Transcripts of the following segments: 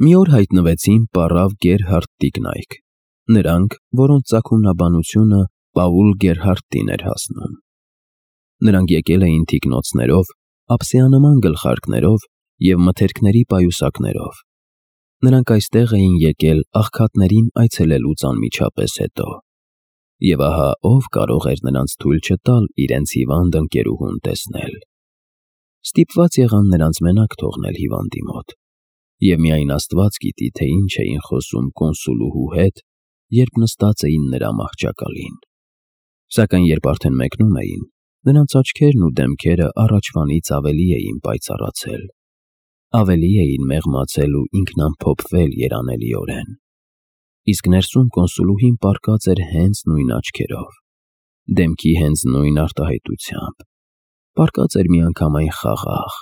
Մի օր հայտնվեցին պառավ Գերհարդ Տիկնայք, նրանք, որոնց ծագումնաբանությունը Պաուլ Գերհարդտին էր հասնում։ Նրանք եկել էին թիկնոցներով, ափսեանման գլխարկներով և մթերքների պայուսակներով։ Նրանք այստեղ էին եկել աղքատներին այցելելուց անմիջապես հետո։ Եվ ահա ով կարող էր նրանց թույլ չտալ իրենց հիվանդ ընկերուհուն տեսնել։ Ստիպված եղան նրանց մենակ թողնել հիվանդի մոտ։ Եվ միայն Աստված գիտի, թե ինչ էին խոսում կոնսուլուհու հետ, երբ նստած էին նրա մահճակալին։ Սակայն երբ արդեն մեկնում էին, նրանց աչքերն ու դեմքերը առաջվանից ավելի էին պայծառացել, ավելի էին մեղմացել ու ինքնամփոփվել երանելիորեն։ Իսկ ներսում կոնսուլուհին պառկած էր հենց նույն աչքերով, դեմքի հենց նույն արտահայտությամբ, պառկած էր միանգամայն խաղաղ,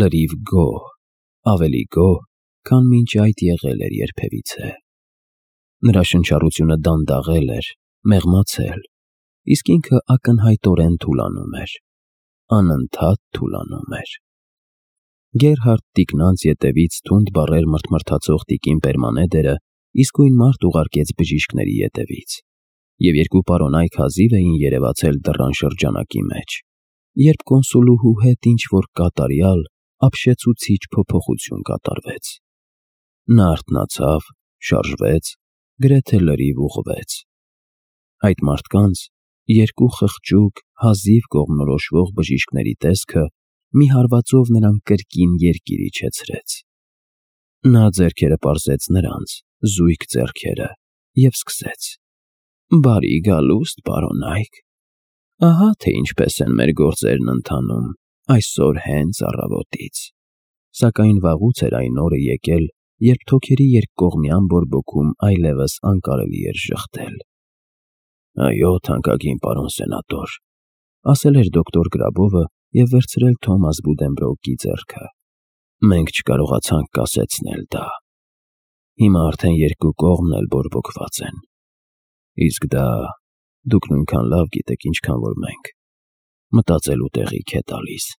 լրիվ գոհ, ավելի գոհ, քան մինչ այդ եղել էր երբևիցե։ Նրա շնչառությունը դանդաղել էր, մեղմացել, իսկ ինքը ակնհայտորեն թուլանում էր, անընդհատ թուլանում էր։ Գերհարդ Տիկնանց ետևից թունդ բառեր մրթմրթացող տիկին Պերմանեդերը իսկույն մարդ ուղարկեց բժիշկների ետևից, և երկու պարոնայք հազիվ էին երևացել դռան շրջանակի մեջ, երբ կոնսուլուհու հետ ինչ-որ կատարյալ, ապշեցուցիչ փոփոխություն կատարվեց։ Նա արթնացավ, շարժվեց, գրեթե լրիվ ուղղվեց։ Այդ մարդկանց, երկու խղճուկ, հազիվ կողմնորոշվող բժիշկների տեսքը մի հարվածով նրան կրկին երկիր իջեցրեց։ Նա ձեռքերը պարզեց նրանց, զույգ ձեռքերը, և սկսեց. «Բարի գալուստ, պարոնայք, ահա թե ինչպես են մեր գործերն ընթանում այսօր հենց առավոտից»։ Սակայն վաղուց էր այն օրը եկել, երբ թոքերի երկկողմյան բորբոքում այլևս անկարելի էր ժխտել։ «Այո, թանկագին պարոն սենատոր», ասել էր դոկտոր Գրաբովը և վերցրել Թոմաս Բուդենբրոուկի ձեռքը։ «Մենք չկարողացանք կասեցնել դա։ Հիմա արդեն երկու կողմն էլ բորբոքված են։ Իսկ դա, դուք նույնքան լավ գիտեք, ինչքան որ մենք, մտածելու տեղիք է տալիս։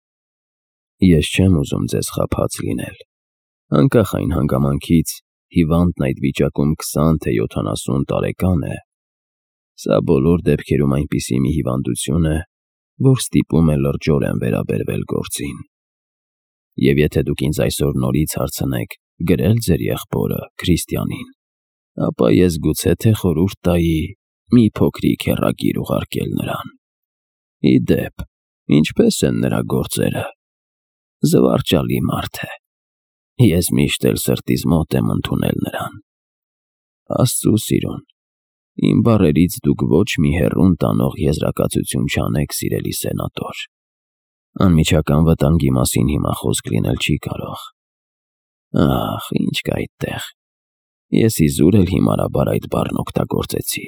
Ես չեմ ուզում ձեզ խաբած լինել, անկախ այն հանգամանքից, հիվանդն այդ վիճակում 20 թե 70 տարեկան է։ Սա բոլոր դեպքերում այնպիսի մի հիվանդություն է, որ ստիպում է լրջորեն վերաբերվել գործին։ Եվ եթե դուք ինձ այսօր նորից հարցնեք գրել ձեր եղբորը Քրիստիանին, ապա ես գուցե թե խորհուրդ տայի մի փոքրիկ հեռագիր ուղարկել նրան։ Ի դեպ, ինչպես են նրա գործերը։ Զվարճալի մարդ է։ Ես միշտ էլ սրտիս մոտ եմ ընդունել նրան։ Աստծու սիրուն, իմ բառերից դուք ոչ մի հեռուն տանող եզրակացություն չանեք, սիրելի սենատոր։ Անմիջական վտանգի մասին հիմա խոսք լինել չի կարող։ Ախ, ինչ կա այդտեղ։ Ես իզուր էլ հիմարաբար այդ բառն օգտագործեցի։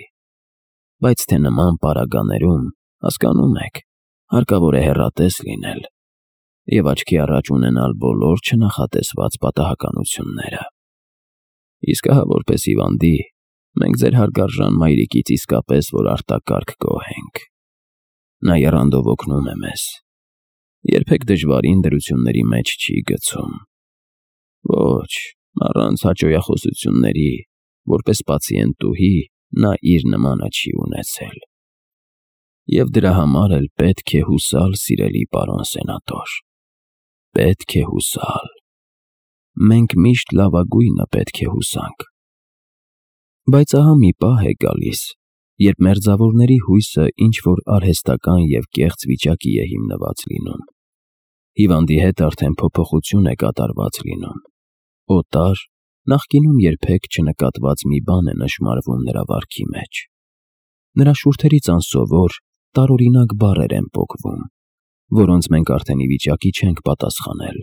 Բայց թե նման պարագաներում, հասկանում եք, հարկավոր է հեռատես լինել և աչքի առաջ ունենալ բոլոր չնախատեսված պատահականությունները։ Իսկ ահա որպես հիվանդի, մենք ձեր հարգարժան մայրիկից իսկապես որ արտակարգ գոհ ենք։ Նա եռանդով օգնում է մեզ, երբեք դժվարին դրությունների մեջ չի գցում։ Ոչ, առանց հաճոյախոսությունների, որպես պացիենտուհի, նա իր նմանը չի ունեցել։ Եվ դրա համար էլ պետք է հուսալ, սիրելի պարոն սենատոր։ Պետք է հուսալ։ Մենք միշտ լավագույնը պետք է հուսանք։ Բայց ահա մի պահ է գալիս, երբ մերձավորների հույսը ինչ-որ արհեստական և կեղծ վիճակի է հիմնված լինում։ Հիվանդի հետ արդեն փոփոխություն է կատարված լինում։ Օտար, նախկինում երբեք չնկատված մի բան է նշմարվում նրա վարքի մեջ։ Նրա շուրթերից անսովոր, տարօրինակ բառեր են պոկվում, որոնց մենք արդեն ի վիճակի չենք պատասխանել,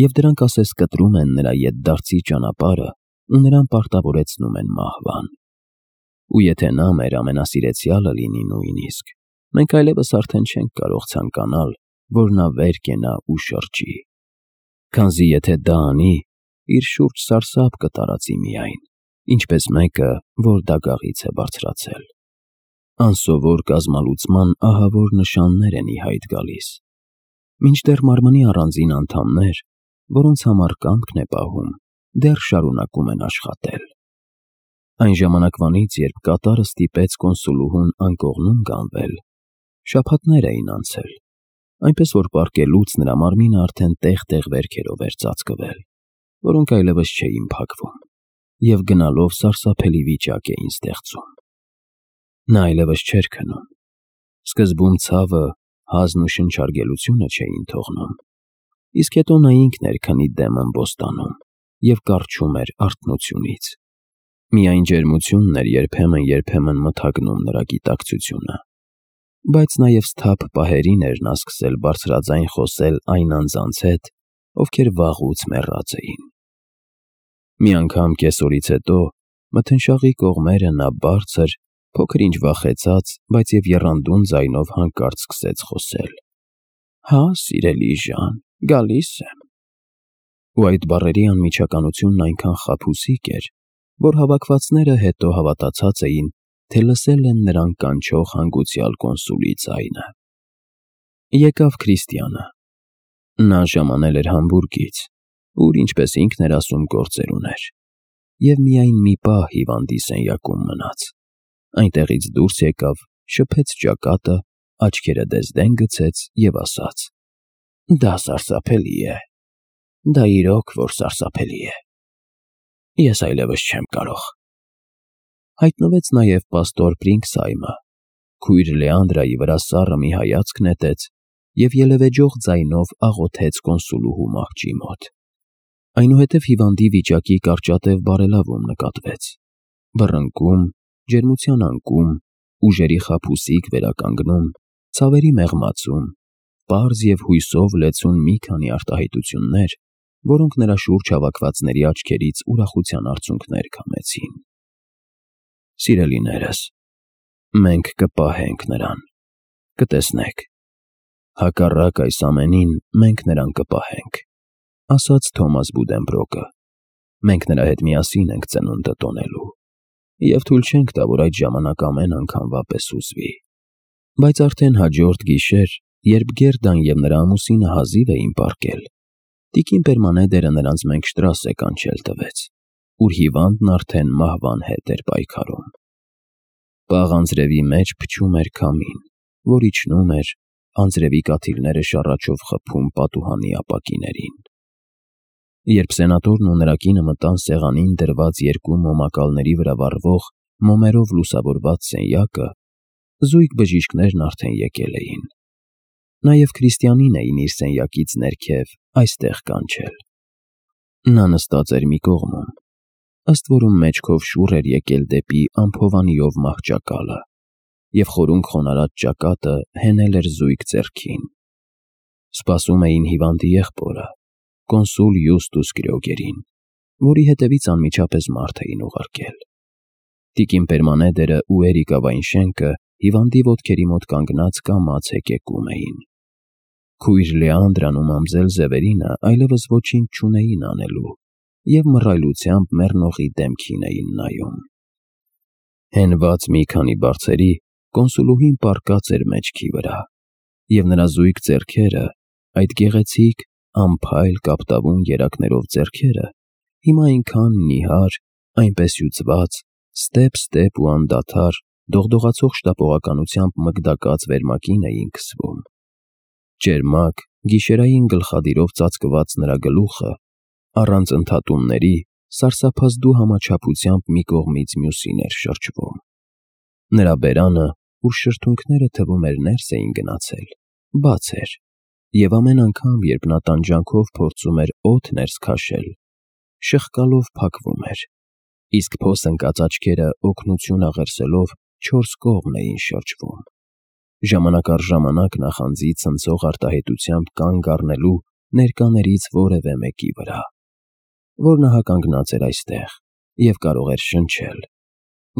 և դրանք ասես կտրում են նրա ետդարձի ճանապարհը ու նրան պարտավորեցնում են մահվան։ Ու եթե նա մեր ամենասիրեցյալը լինի նույնիսկ, մենք այլևս արդեն չենք կարող ցանկանալ, որ նա վեր կենա ու շրջի։ Քանզի եթե դա անի, իր շուրջ սարսափ կտարածի միայն, ինչպես մեկը, որ դագաղից է բարձրացել։ Անսովոր կազմալուծման ահավոր նշաններ են ի հայտ գալիս։ Մինչդեռ մարմնի առանձին անդամներ, որոնց համար կամքն է պահում, դեռ շարունակում են աշխատել։ Այն ժամանակվանից, երբ կատարը ստիպեց կոնսուլուհուն անկողնում գանվել, շաբաթներ էին անցել, այնպես որ պառկելուց նրա մարմինը արդեն տեղ-տեղ վերքերով էր ծածկվել, որոնք այլևս չէին փակվում, և գնալով սարսափելի վիճակ էին ստեղծում։ Նա այլևս չէր քնում։ Սկզբում ցավը, հազն ու շնչարգելությունը չէին թողնում, իսկ հետո նա ինքն էր քնի դեմ ըմբոստանում և կառչում էր արթնությունից։ Միայն ջերմությունն էր երբեմն մթագնում նրա գիտակցությունը, բայց նաև սթափ պահերին էր նա սկսել բարձրաձայն խոսել այն անձանց հետ, ովքեր վաղուց մեռած էին։ Մի անգամ կեսօրից հետո մթնշաղի կողմերը նա բարձր, փոքր-ինչ վախեցած, բայց և եռանդուն ձայնով հանկարծ սկսեց խոսել. «Հա, սիրելի Ժան, գալիս եմ»։ Ու այդ բառերի անմիջականությունն այնքան խաբուսիկ էր, որ հավաքվածները հետո հավատացած էին, թե լսել են նրան կանչող հանգուցյալ կոնսուլի ձայնը։ Եկավ Քրիստիանը։ Նա ժամանել էր Համբուրգից, ուր, ինչպես ինքն էր ասում, գործեր ուներ, և միայն մի պահ հիվանդի սենյակում մնաց։ Այնտեղից դուրս եկավ, շփեց ճակատը, աչքերը դեզդեն գցեց և ասաց. «Դա սարսափելի է, դա իրոք որ սարսափելի է։ Ես այլևս չեմ կարող»։ Հայտնվեց նաև պաստոր Պրինգսայմը, քույր Լեանդրայի վրա սառը մի հայացք նետեց և ելևէջող ձայնով աղոթեց կոնսուլուհու մահճի մոտ։ Այնուհետև հիվանդի վիճակի կարճատև բարելավում նկատվեց։ Բռնկում, ջերմության անկում, ուժերի խաբուսիկ վերականգնում, ցավերի մեղմացում, պարզ և հույսով լեցուն մի քանի արտահայտություններ, որոնք նրա շուրջ հավաքվածների աչքերից ուրախության արցունքներ քամեցին։ Սիրելիներս, մենք կպահենք նրան, կտեսնեք։ Հակառակ այս ամենին մենք նրան կպահենք, ասաց Թոմաս Բուդենբրոկը։ Մենք նրա հետ միասին ենք ծնունդը տոնելու, և թույլ չենք տա, որ այդ ժամանակ ամեն անգամվա պես հուզվի։ Բայց արդեն հաջորդ գիշեր, երբ Գերդան և նրա ամուսինը հազիվ էին պառկել, տիկին Պերմանեդերը նրանց Մենգշտրասե կանչել տվեց, ուր հիվանդն արդեն մահվան հետ էր պայքարում։ Պաղ անձրևի մեջ փչում էր քամին, որ իջնում էր, անձրևի կաթիլները շառաչով խփում պատուհանի ապակիներին։ Երբ սենատորն ու նրա կինը մտան սեղանին դրված երկու մոմակալների վրա վառվող մոմերով լուսավորված սենյակը, զույգ բժիշկներն արդեն եկել էին։ Նաև Քրիստիանին էին իր սենյակից ներքև այստեղ կանչել։ Նա նստած էր մի կողմում, ըստ որում մեջքով շուռ էր եկել դեպի ամփովանիով մահճակալը, և խորունկ խոնարհած ճակատը հենել էր զույգ ձեռքին։ Սպասում էին հիվանդի եղբորը, կոնսուլ Յուստուս Կրյոգերին, որի հետևից անմիջապես մարդ էին ուղարկել։ Տիկին Պերմանեդերը ու Էրիկա Վայնշենկը հիվանդի ոտքերի մոտ կանգնած կամաց հեկեկում էին։ Քույր Լեանդրան ու մամզել Զևերինը այլևս ոչինչ չունեին անելու և մռայլությամբ մեռնողի դեմքին էին նայում։ Հենված մի քանի բարձերի կոնսուլուհին պառկած էր մեջքի վրա, և նրա զույգ ձեռքերը, այդ գեղեցիկ, անփայլ կապտավուն երակներով ձեռքերը, հիմա այնքան նիհար, այնպես հյուծված, ստեպ ու անդադար, դողդողացող շտապողականությամբ մկդակած վերմակին էին քսվում։ Ճերմակ, գիշերային գլխադիրով ծածկված նրա գլուխը, առանց ընդհատումների, սարսափազդու համաչափությամբ մի կողմից մյուսին էր շրջվում։ Նրա բերանը, ուր շրթունքները թվում էր ներս էին գնացել, բաց էր, և ամեն անգամ, երբ նա տանջանքով փորձում էր օդ ներս քաշել, շղկալով փակվում էր, իսկ փոս ընկած աչքերը օգնություն աղերսելով չորս կողմ էին շրջվում։ Ժամանակ առ ժամանակ նախանձի ցնցող արտահայտությամբ կանգ առնելու ներկաներից որևէ մեկի վրա, որ նա կանգնած էր այստեղ և կարող էր շնչել,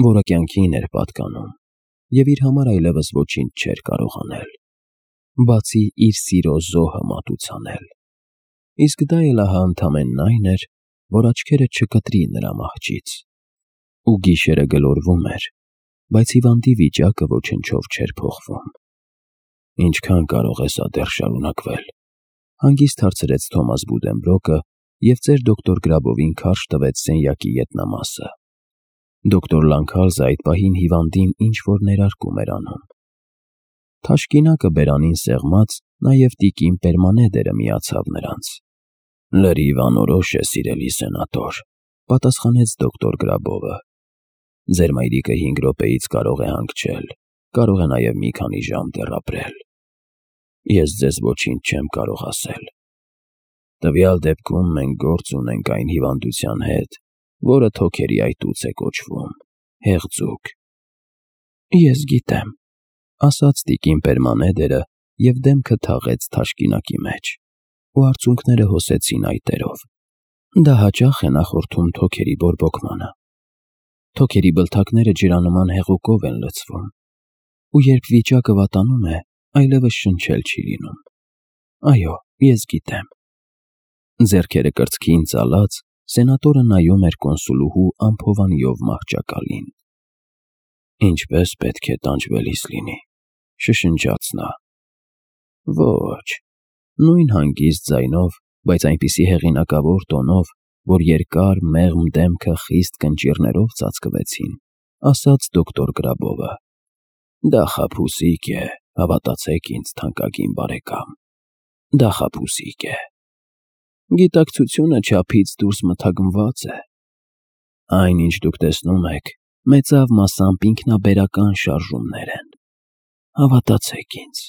որը կյանքին էր պատկանում և իր համար այլևս ոչինչ չէր կարող անել, բացի իր սիրո զոհը մատուցանել։ Իսկ դա էլ ահա ընդամենն այն էր, որ աչքերը չկտրի նրա մահճից։ Ու գիշերը գլորվում էր, բայց հիվանդի վիճակը ոչնչով չէր փոխվում։ «Ինչքան կարող է սա դեռ շարունակվել», հանգիստ հարցրեց Թոմաս Բուդենբրոկը, և ծեր դոկտոր Գրաբովին քարշ տվեց սենյակի ետնամասը։ Դոկտոր Լանքալզը այդ պահին հիվանդին ինչ-որ ներարկում էր անում։ Թաշկինակը բերանին սեղմած, նաև տիկին Պերմանեդերը միացավ նրանց։ «Լրիվ անորոշ է, սիրելի սենատոր», պատասխանեց դոկտոր Գրաբովը։ «Ձեր մայրիկը 5 րոպեից կարող է հանգչել, կարող է նաև մի քանի ժամ դեռ ապրել։ Ես ձեզ ոչինչ չեմ կարող ասել։ Տվյալ դեպքում մենք գործ ունենք այն հիվանդության հետ, որը թոքերի այտուց է կոչվում, հեղձուկ»։ «Ես գիտեմ», ասաց տիկին Պերմանեդերը և դեմքը թաղեց թաշկինակի մեջ, ու արցունքները հոսեցին այտերով։ Դա հաճախ է նախորդում թոքերի բորբոքմանը։ Թոքերի բլթակները ջրանման հեղուկով են լցվում, ու երբ վիճակը վատանում է, այլևս շնչել չի լինում։ Այո, ես գիտեմ։ Ձեռքերը կրծքին ծալած, սենատորը նայում էր կոնսուլուհու անփովանիով մահճակալին։ «Ինչպես պետք է տանջվելիս լինի», շշնջաց նա։ «Ոչ», նույն հանգիստ ձայնով, բայց այնպիսի հեղինակավոր տոնով, որ երկար մեղմ դեմքը խիստ կնճիռներով ծածկվեցին, ասաց դոկտոր Գրաբովը։ «Դա խաբուսիկ է, հավատացեք ինձ, թանկագին բարեկամ, դա խաբուսիկ է։ Գիտակցությունը չափից դուրս մթագնված է։ Այն, ինչ դուք տեսնում եք, մեծավ մասամբ ինքնաբերական շարժումներ են։ Հավատացեք ինձ»։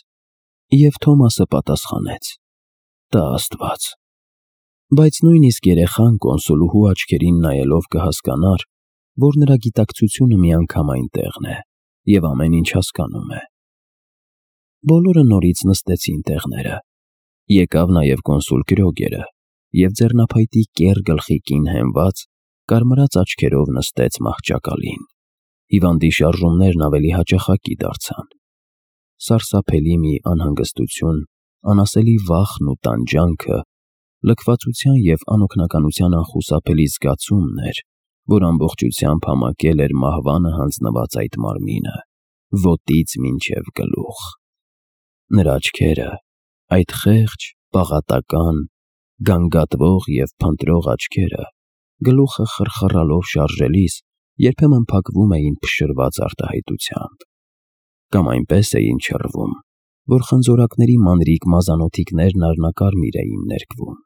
Եվ Թոմասը պատասխանեց. «Տա Աստված»։ Բայց նույնիսկ երեխան կոնսուլուհու աչքերին նայելով կհասկանար, որ նրա գիտակցությունը միանգամայն տեղն է և ամեն ինչ հասկանում է։ Բոլորը նորից նստեցին տեղները։ Եկավ նաև կոնսուլ Կրոգերը և ձեռնափայտի կեռ գլխիկին հենված, կարմրած աչքերով նստեց մահճակալին։ Հիվանդի շարժումներն ավելի հաճախակի դարձան։ Սարսափելի մի անհանգստություն, անասելի վախն ու տանջանքը, լքվածության և անօգնականության անխուսափելի զգացումն էր, որ ամբողջությամբ համակել էր մահվանը հանձնված այդ մարմինը, ոտից մինչև գլուխ։ Նրա աչքերը, այդ խեղճ, պաղատական, գանգատվող և փնտրող աչքերը, գլուխը խրխռալով շարժելիս, երբեմն փակվում էին փշրված արտահայտությամբ, կամ այնպես էին չռվում, որ խնձորակների մանրիկ մազանոթիկներն առնակարմիր էին ներկվում։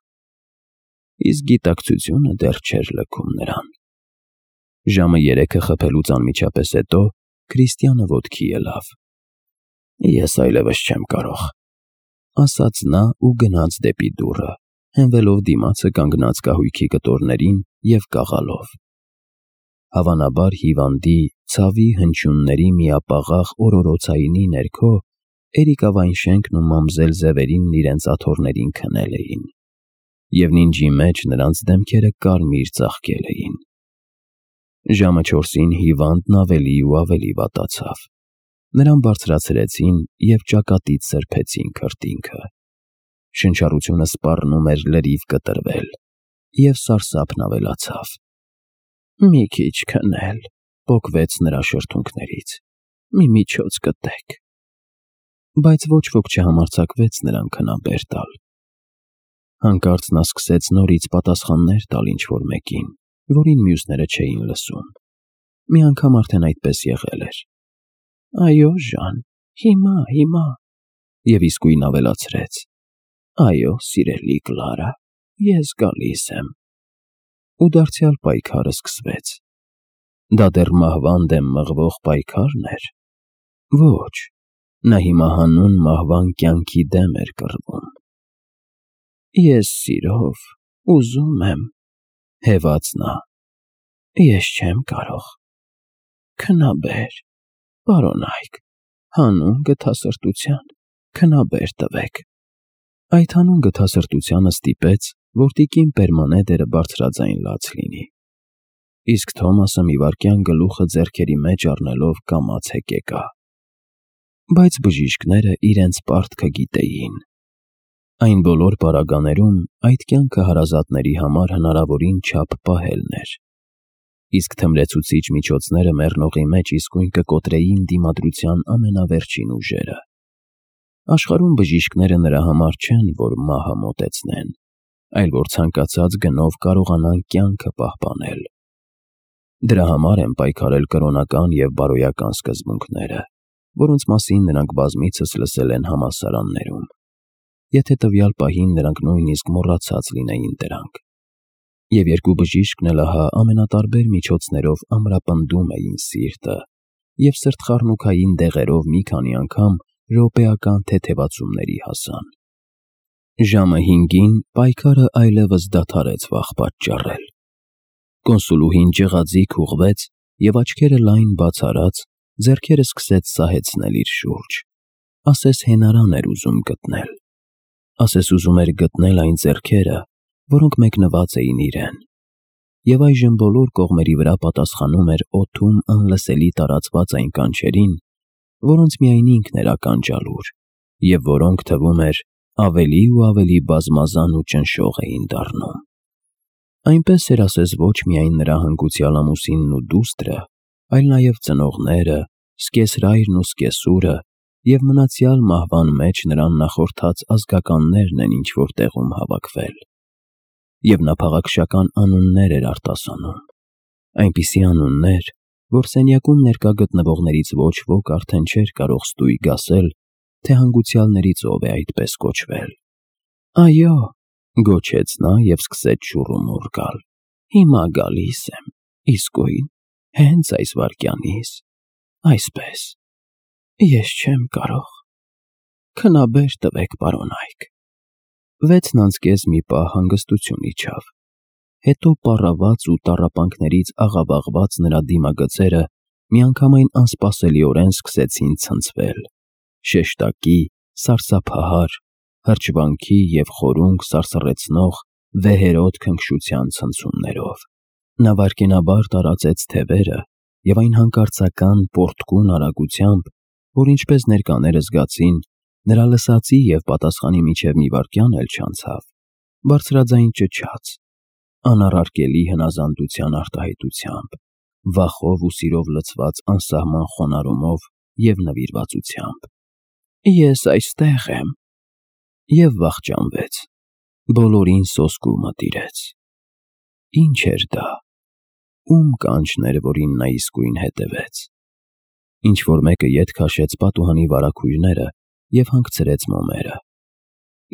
Իսկ գիտակցությունը դեռ չէր լքում նրան։ Ժամը 3-ը խփելուց անմիջապես հետո Քրիստիանը ոտքի ելավ։ «Ես այլևս չեմ կարող», ասաց նա ու գնաց դեպի դուռը, հենվելով դիմացը կանգնած կահույքի կտորներին և կաղալով։ Հավանաբար հիվանդի, ցավի հնչյունների միապաղաղ օրորոցայինի ներքո Էրիկավայնշենքն ու մամզել Զևերինն իրենց աթոռներին քնել էին, և նինջի մեջ նրանց դեմքերը կարմիր ծաղկել էին։ Ժամը 4-ին հիվանդն ավելի ու ավելի վատացավ։ Նրան բարձրացրեցին և ճակատից սրբեցին քրտինքը։ Շնչառությունը սպառնում էր լրիվ կտրվել, և սարսափն ավելացավ։ «Մի քիչ քնել», պոկվեց նրա շրթունքներից, «մի միջոց գտեք»։ Բայց ոչ ոք չհամարձակվեց նրան քնաբեր տալ։ Հանկարծ նա սկսեց նորից պատասխաններ տալ ինչ-որ մեկին, որին մյուսները չէին լսում։ Մի անգամ արդեն այդպես եղել էր։ «Այո, Ժան, հիմա», և իսկույն ավելացրեց. «Այո, սիրելի Կլարա, ես գալիս եմ»։ Ու դարձյալ պայքարը սկսվեց։ Դա դեռ մահվան դեմ մղվող պայքարն էր։ Ոչ, նա հիմա հանուն մահվան կյանքի դեմ էր կռվում։ «Ես սիրով ուզում եմ», հևաց նա, «ես չեմ կարող։ Քնաբեր, պարոնայք, հանուն գթասրտության քնաբեր տվեք»։ Այդ հանուն գթասրտությանը ստիպեց, որ տիկին Պերմանեդերը բարձրաձայն լաց լինի։ Իսկ Թոմասը մի վայրկյան գլուխը ձեռքերի մեջ առնելով կամաց հեկեկա։ Բայց բժիշկները իրենց պարտքը գիտեին։ Այն բոլոր պարագաներում այդ կյանքը հարազատների համար հնարավորին չափ պահելն էր։ Իսկ թմրեցուցիչ միջոցները մեռնողի մեջ իսկույն կկոտրեին դիմադրության ամենավերջին ուժերը։ Աշխարհում բժիշկները նրա համար չեն, որ մահը մոտեցնեն, այլ որ ցանկացած գնով կարողանան կյանքը պահպանել։ Դրա համար են պայքարել կրոնական և բարոյական սկզբունքները, որոնց մասին նրանք բազմիցս լսել են համալսարաններում, եթե տվյալ պահին նրանք նույնիսկ մոռացած լինեին դրանք։ Եվ երկու բժիշկն էլ ահա ամենատարբեր միջոցներով ամրապնդում էին սիրտը և սրտխառնուքային դեղերով մի քանի անգամ րոպեական թեթևացումների հասան։ Ժամը 5-ին պայքարը այլևս դադարեց վախ պատճառել։ Կոնսուլուհին ջղաձիգ ուղղվեց և աչքերը լայն բաց արած, ձեռքերը սկսեց սահեցնել իր շուրջ, ասես հենարան էր ուզում գտնել, ասես ուզում էր գտնել այն ձեռքերը, որոնք մեկնված էին իրեն։ Եվ այժմ բոլոր կողմերի վրա պատասխանում էր օդում անլսելի տարածված այն կանչերին, որոնց միայն ինքն էր ականջալուր, և որոնք, թվում էր, ավելի ու ավելի բազմազան ու ճնշող էին դառնում։ Այնպես էր, ասես ոչ միայն նրա հանգուցյալ ամուսինն ու դուստրը, այլ նաև ծնողները, սկեսրայրն ու սկեսուրը և մնացյալ մահվան մեջ նրան նախորդած ազգականներն են ինչ-որ տեղում հավաքվել։ Եվ նա փաղաքշական անուններ էր արտասանում, այնպիսի անուններ, որ սենյակում ներկա գտնվողներից ոչ ոք արդեն չէր կարող ստույգ ասել, թե հանգուցյալներից ով է այդպես կոչվել։ «Այո», գոչեց նա և սկսեց շուռումուռ գալ, «հիմա գալիս եմ, իսկույն, հենց այս վայրկյանից, այսպես, ես չեմ կարող, քնաբեր տվեք, պարոն Այք»։ 6-ն անցկեց մի պահ հանգստություն իջավ, հետո պառաված ու տառապանքներից աղավաղված նրա դիմագծերը միանգամայն անսպասելիորեն սկսեցին ցնցվել, շեշտակի, սարսափահար, հրճվանքի և խորունկ սարսռեցնող վեհերոտ քնքշության ցնցումներով։ Նա վայրկենաբար տարածեց թևերը և այն հանկարծական պոռթկուն արագությամբ, որ ինչպես ներկաները զգացին, նրա լսածի և պատասխանի միջև մի վայրկյան էլ չանցավ, բարձրաձայն ճչաց, անառարկելի հնազանդության արտահայտությամբ, վախով ու սիրով լցված անսահման խոնարհումով և նվիրվածությամբ։ «Ես այստեղ եմ», և վախճանվեց, բոլորին սոսկու մտիրեց։ Ինչ էր դա, ում կանչն էր, որին նա իսկույն հետևեց։ Ինչ-որ մեկը ետ քաշեց պատուհանի վարագույրները և հանգցրեց մոմերը,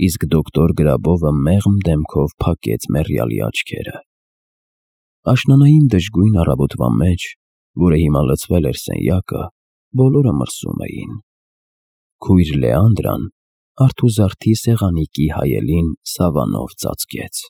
իսկ դոկտոր Գրաբովը մեղմ դեմքով փակեց մեռյալի աչքերը։ Աշնանային դժգույն առավոտվա մեջ, որը հիմա լցվել էր սենյակը, բոլորը մրսում էին։ Քույր Լեանդրան արթուզարդի սեղանիկի հայելին սավանով ծածկեց։